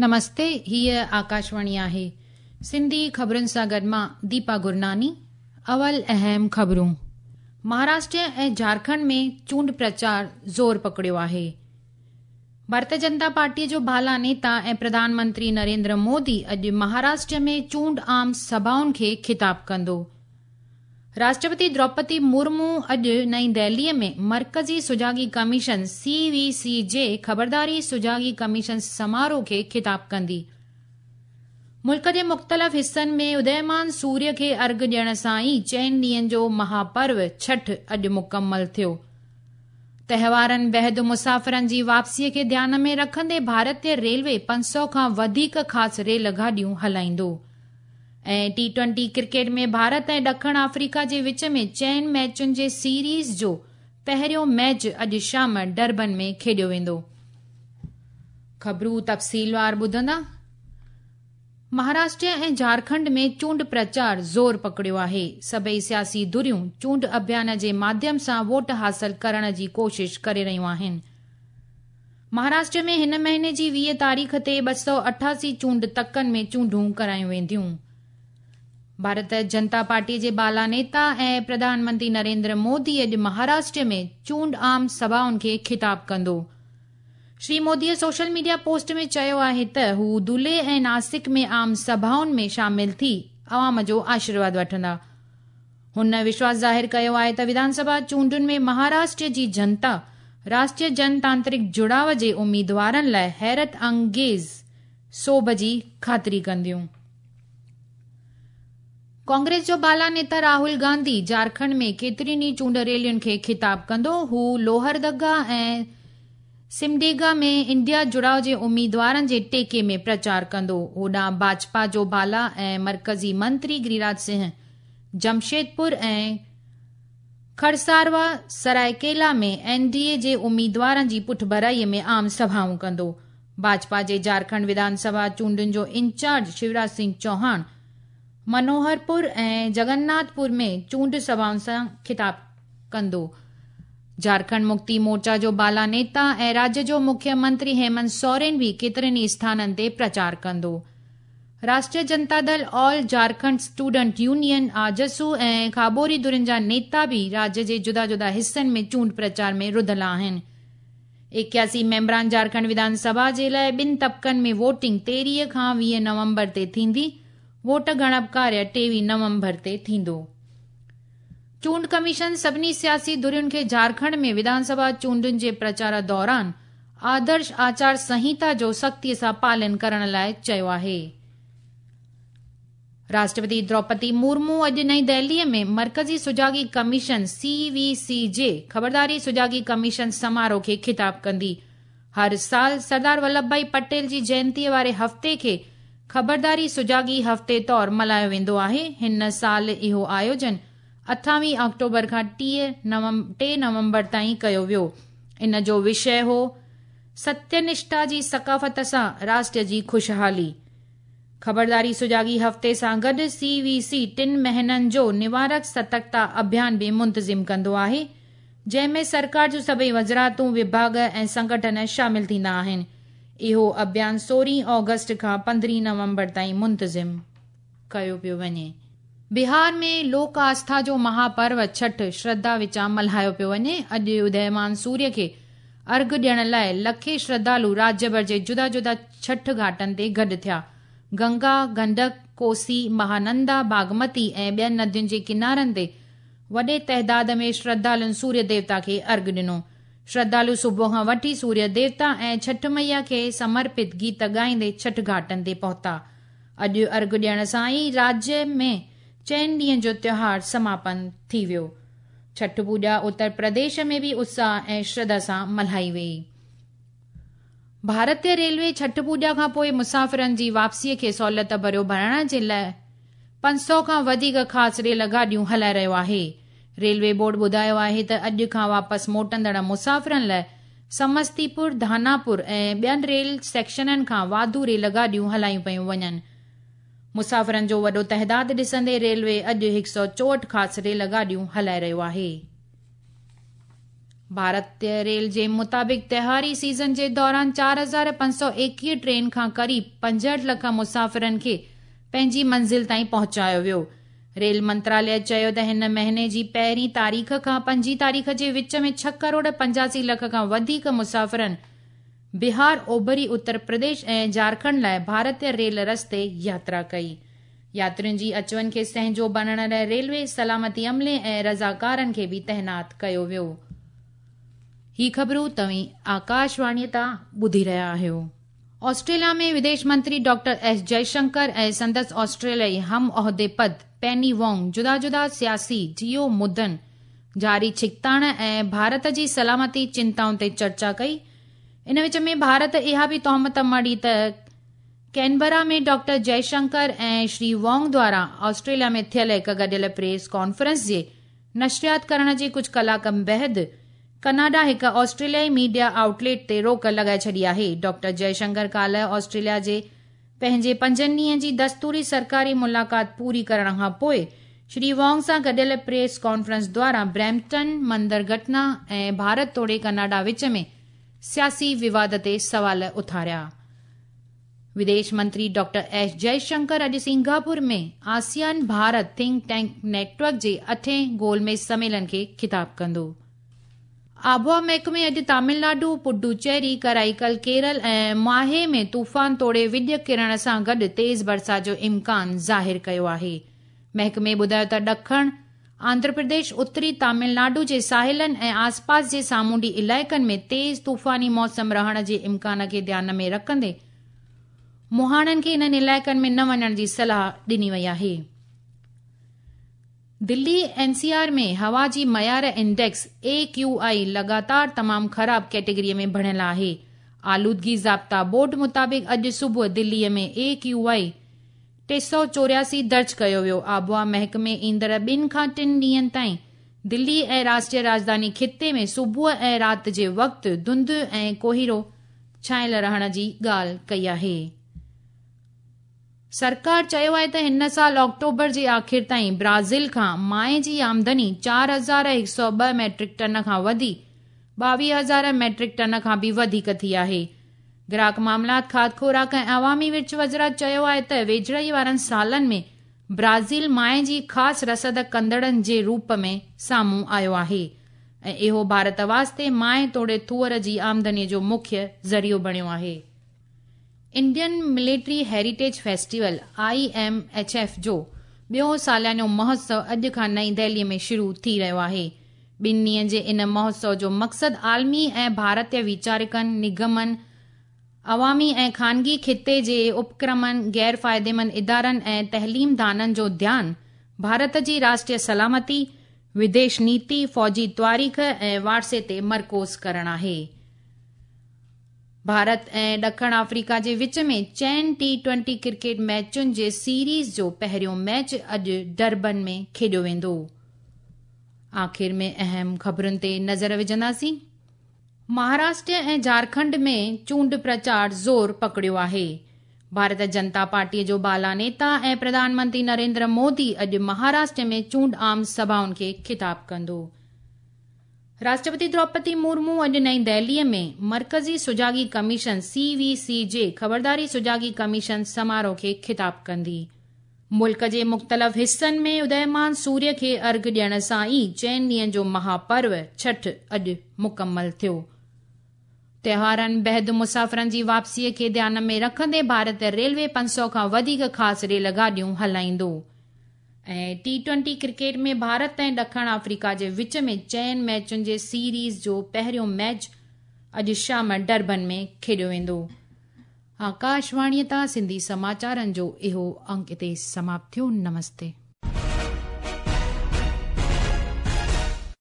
نمستي، هيء آڪاشواڻي آهي. سنڌي خبرن سان گڏ مان ديپا گرناني. اول اهم خبرون. مهاراشٽر ۽ جهارکنڊ ۾ چونڊ پرچار زور پڪڙيو آهي. ڀارتيه جنتا پارٽيء جو بالا نيتا ۽ پرڌان منتري نريندر مودي اڄ مهاراشٽر ۾ چونڊ عام سڀائن کي خطاب ڪندو. راشٽرپتي دروپدي مرمو اڄ نئين دهليء ۾ مرڪزي سجاڳي ڪميشن، سي وي سي، جي خبرداري سجاڳي ڪميشن سماروهه کي خطاب ڪندي. ملڪ جي مختلف حصن ۾ اديمان سوريه کي ارگهه ڏيڻ سان ئي چئن ڏينهن جو مهاپرو ڇٺ اڄ مڪمل ٿيو. تهوارن بعد مسافرن جي واپسيء کي ڌيان ۾ رکندي ڀارتي ريلوي 500 کان وڌيڪ خاص ريل گاڏيون هلائيندو. ۽ ٽي ٽوئنٽي ڪرڪيٽ ۾ ڀارت ۽ ڏکڻ آفريڪا جي وچ ۾ چئن ميچن جي سيريز جو پهريون ميچ اڄ شام ڊربن ۾ کيڏيو ويندو. خبرون تفصيلوار ٻڌندا. مهاراشٽر ۽ جهارکنڊ ۾ چونڊ پرچار زور پڪڙيو آهي. سڀئي سياسي ڌريون چونڊ اڀيان جي ماڌيم سان ووٽ حاصل ڪرڻ جي ڪوشش ڪري رهيون آهن. مهاراشٽر ۾ هن مهيني جي 20 تاريخ تي 288 چونڊ تڪن ۾ چونڊون ڪرايون وينديون. ڀارت جنتا پارٽي جي بالا نيتا ۽ پرڌان منتري نريندر مودي اڄ مهاراشٽر ۾ چونڊ عام سڀائن کي خطاب ڪندو. شري موديء سوشل ميڊيا پوسٽ ۾ چيو آهي ته هو دولي ۽ ناسڪ ۾ عام سڀائن ۾ شامل ٿي عوام جو آشيرواد وٺندا. هن وشواس ظاهر ڪيو آهي ته وڌان سڀا چونڊن ۾ مهاراشٽر جي جنتا راشٽريه جن تانترڪ جڙاء جي اميدوارن لاء حيرت انگيز سوڀ جي خاطري ڪنديون. ڪانگريس جو بالا نيتا راهول گانڌي جهارکنڊ ۾ ڪيترين ئي چونڊ ريلين کي خطاب ڪندو. هو لوهردگا ۽ سمڊيگا ۾ انڊيا جڙاء جي اميدوارن جي ٽيڪي ۾ پرچار ڪندو. هوڏانهن ڀاجپا جو بالا ۽ مرڪزي منتري گريراج سنگهه جمشيدپور ۽ کڙساروا سرائيڪيلا ۾ اين ڊي اي جي اميدوارن جي پٺڀرائي ۾ عام سڀائون ڪندو. ڀاجپا جي جهارکنڊ وڌان سڀا چونڊن جو انچارج شيوراج سنگهه چوهاڻ منوهرپور ۽ جگناٿ پور ۾ چونڊ سڀائن سان خطاب ڪندو. جهارکنڊ مڪتي مورچا جو بالا نيتا ۽ راجيه جو مکيه منتري هيمنت سورين به ڪيترن ئي اسٿانن تي پرچار ڪندو. راشٽريه جنتا دل، آل جهارکنڊ اسٽوڊنٽ يونين، آجسو، ۽ کاٻوري ڌرين جا نيتا به راجيه جي جدا جدا حصن ۾ چونڊ پرچار ۾ رڌل آهن. 81 ميمبران جهارکنڊ وڌان سڀا جي لاء ٻن طبقن ۾ ووٽنگ 13 کان 20 نومبر تي ٿيندي. ووٽ ڳڻپ ڪاريه 23 نومبر تي ٿيندو. چونڊ ڪميشن سڀني سياسي ڌرين کي جهارکنڊ ۾ وڌان سڀا چونڊن جي پرچار دوران آدرش آچار سنهيتا جو سختيء سان پالن ڪرڻ لاء چيو آهي. راشٽرپتي دروپدي مورمو اڄ نئين دهليء ۾ مرڪزي سجاڳي ڪميشن، سي وي سي، جي خبرداري سجاڳي ڪميشن سماروهه کي خطاب ڪندي. هر سال سردار ولڀ ڀائي پٽيل جي جينتيء واري هفتي کي خبرداري سجاڳي هفتي طور ملهايو ويندو آهي. هن سال اهو آيوجن 28 آڪٽوبر کان 3 نومبر تائين ڪيو ويو. ان جو وشيه هو، ستيه نشٺا جي ثقافت سان راشٽر جي خوشحالي. خبرداري سجاڳي هفتي سان گڏ سي وي سي ٽن مهينن جو نوارڪ سترڪتا اڀيان به منتظم ڪندو آهي، جنهن ۾ سرڪار جون سڀئي وزارتون، وڀاڳ ۽ سنگٺن شامل ٿيندا آهن. اهو اڀيان 16 آگسٽ کان 15 نومبر تائين منتظم ڪيو پيو وڃي. بهار ۾ لوڪ آسٿا جو مها پرو ڇٺ شرڌا وچان ملهايو پيو وڃي. اڄ اديمان سوريه کي ارگهه ڏيڻ لاء لکين شرڌالو راجيه ڀر جي جدا جدا ڇٺ گهاٽن تي گڏ ٿيا. گنگا، گنڊڪ، ڪوسي، مهانندا، باگمتي ۽ ٻين ندين جي ڪنارن تي وڏي تعداد ۾ شرڌالن سوريه ديوتا کي ارگهه ڏنو. شرڌالو صبح کان وٺي سوريه ديوتا ۽ ڇٺ مئيا کي سمرپت گيت ڳائيندي ڇٺ گهاٽن تي پهتا. اڄ ارگهه ڏيڻ سان ئي راجيه ۾ چئن ڏينهن جو تيوهار سماپن ٿي ويو. ڇٺ پوڄا اتر پرديش ۾ به اتساهه ۽ شرڌا سان ملهائي ويئي. ڀارتي ريلوي ڇٺ پوڄا کان پوء مسافرن جي واپسيء کي سهولت ڀريو بڻائڻ جي لاء 500 کان وڌيڪ خاص ريل گاڏيون هلائي رهيو آهي. ريلوي بورڊ ٻڌايو آهي ته اڄ کان واپس موٽندڙ مسافرن لاء سمستيپور، ڌاناپور ۽ ٻين ريل سيڪشنن کان واڌو ريل گاڏيون هلايون پيون وڃن. مسافرن جو وڏو تعداد ڏسندي ريلوي اڄ 164 خاص ريل گاڏيون هلائي رهيو آهي. ڀارتي ريل جي مطابق تهواري سيزن جي دوران 4521 ٽرين کان قريب 65 لک مسافرن کي پنهنجي منزل تائين پهچايو ويو. ريل منتراليه چيو ته هن مهيني جي پهرين تاريخ کان پنجين تاريخ جي وچ ۾ 6 ڪروڙ 85 لک کان وڌيڪ مسافرن بهار، اوڀري اتر پرديش ۽ جهارکنڊ لاء ڀارتي ريل رستي ياترا ڪئي. ياترين جي اچ وڃ کي سهنجو بڻائڻ لاء ريلوي، سلامتي عملي ۽ رضاڪارن کي به تعينات ڪيو ويو. هي خبرون توهين آڪاشواڻيء تان ٻڌي رهيا آهيو. آسٽريليا ۾ وديش منتري ڊاڪٽر ايس جئشنڪر ۽ سندس آسٽريليائي هم عهدي پد پيني وانگ جدا جدا سياسي جيو مدن، جاري ڇڪتاڻ ۽ ڀارت جي سلامتي چنتائن تي چرچا ڪئي. ان وچ ۾ ڀارت اها به تهمت مڙهي ته ڪينبرا ۾ ڊاڪٽر جئشنڪر ۽ شري وانگ دواران آسٽريليا ۾ ٿيل هڪ گڏيل پريس ڪانفرنس جي نشريات ڪرڻ جي ڪجهه ڪلاڪن بعد ڪئناڊا هڪ آسٽريليائي ميڊيا آئوٽ ليٽ تي روڪ لڳائي ڇڏي آهي. ڊاڪٽر جئشنڪر ڪالهه آسٽريليا جي پنهنجي پنجن ڏينهن جي دستوري سرڪاري ملاقات پوري ڪرڻ کان پوء شري وانگ سان گڏيل پريس ڪانفرنس دواران بريمپٽن مندر گهٽنا ۽ ڀارت توڙي ڪئناڊا وچ ۾ سياسي وواد تي سوال اٿاريا. وديش منتري ڊاڪٽر ايس جئشنڪر اڄ Singapore ۾ ASEAN Bharat think tank network جي اٺين گول ميز سميلن کي خطاب ڪندو. آبهوا محڪمي اڄ تامل ناڊو، پڊوچيري، ڪرائيڪل، ڪيرل ۽ ماهي ۾ طوفان توڙي وڄ ڪرڻ سان گڏ تيز برسات جو امڪان ظاهر ڪيو آهي. محڪمي ٻڌايو ته ڏکڻ آنڌرا پرديش، اتري تامل ناڊو جي ساحلن ۽ آسپاس جي سامونڊي علائقن ۾ تيز طوفاني موسم رهڻ جي امڪان کي ڌيان ۾ رکندي مهاڻن کي انهن علائقن ۾ نه وڃڻ جي صلاح ڏني وئي آهي. دلي اين سي آر ۾ هوا جي معيار انڊيڪس، اي ڪيو آء، لڳاتار تمام خراب ڪيٽيگري ۾ بڻيل آهي. آلودگي ضابطا بورڊ مطابق اڄ صبح دلي ۾ اي ڪيو آء 384 درج ڪيو ويو. آبهوا محڪمي ايندڙ ٻن کان ٽن ڏينهن تائين دلي ۽ راشٽريه راڄڌاني خطي ۾ صبح ۽ رات جي وقت ڌنڌ ۽ ڪوهيڙو ڇانيل رهڻ جي ڳالهه ڪئي آهي. سرڪار چيو آهي ته هن سال آڪٽوبر جي آخر تائين برازيل کان مائع جي آمدني 4102 ميٽرڪ ٽن کان وڌي 22,000 ميٽرڪ ٽن کان به وڌيڪ ٿي آهي. گراهڪ معاملات، کاڌ خوراڪ ۽ عوامي ورڇ وزارت چيو آهي ته ويجهڙائي وارن سالن ۾ برازيل مائع جي خاص رسد ڪندڙن جي روپ ۾ سامهون آيو آهي ۽ اهو ڀارت واسطي مائع توڙي ٿوئر جي آمدني جو مکيه ذريعو بڻيو آهي. Indian military heritage festival, I M H F, جو ٻيو ساليانو مهوتسو اڄ کان نئين دهلي ۾ شروع ٿي رهيو آهي. ٻن ڏينهن جي ان مهوتسو جو مقصد عالمي ۽ ڀارتي ويچارڪن، نگمن، عوامي ۽ خانگي خطي جي اپڪرمن، غير فائديمند ادارن ۽ تعليم دانن جو ڌيان ڀارت جي راشٽريه سلامتي، وديش نيتي، فوجي تواريخ ۽ وارثي تي مرڪوز ڪرڻ آهي. ڀارت ۽ ڏکڻ آفريڪا جي وچ ۾ چئن ٽي ٽوئنٽي ڪرڪيٽ ميچن جي سيريز جو پهريون ميچ اڄ ڊربن ۾ کيڏيو ويندو. آخر ۾ اهم خبرن تي نظر وجهنداسين. مهاراشٽر ۽ جهارکنڊ ۾ چونڊ پرچار زور پڪڙيو آهي. ڀارت جنتا پارٽي جو بالا نيتا ۽ پرڌان منتري نريندر مودي اڄ مهاراشٽر ۾ چونڊ عام سڀائن کي خطاب ڪندو. راشٽرپتي دروپدي مورمو اڄ نئين دهلي ۾ مرڪزي سجاڳي ڪميشن، سي وي سي، جي خبرداري سجاڳي ڪميشن سماروهه کي خطاب ڪندي. ملڪ جي مختلف حصن ۾ اديمان سوريه کي ارگهه ڏيڻ سان ئي چئن ڏينهن جو مها پرو ڇٺ اڄ مڪمل ٿيو. تهوارن بعد مسافرن جي واپسيء کي ڌيان ۾ رکندي ڀارت ريلوي 500 کان وڌيڪ خاص ريل گاڏيون هلائيندو ۽ ٽي ٽوئنٽي ڪرڪيٽ ۾ ڀارت ۽ ڏکڻ آفريڪا جي وچ ۾ چئن ميچن جي سيريز جو پهريون ميچ اڄ شام ڊربن ۾ کيڏيو ويندو. آڪاشواڻيء تان سنڌي سماچارن جو اهو انڪ اتي سماپت ٿيو. نمستي.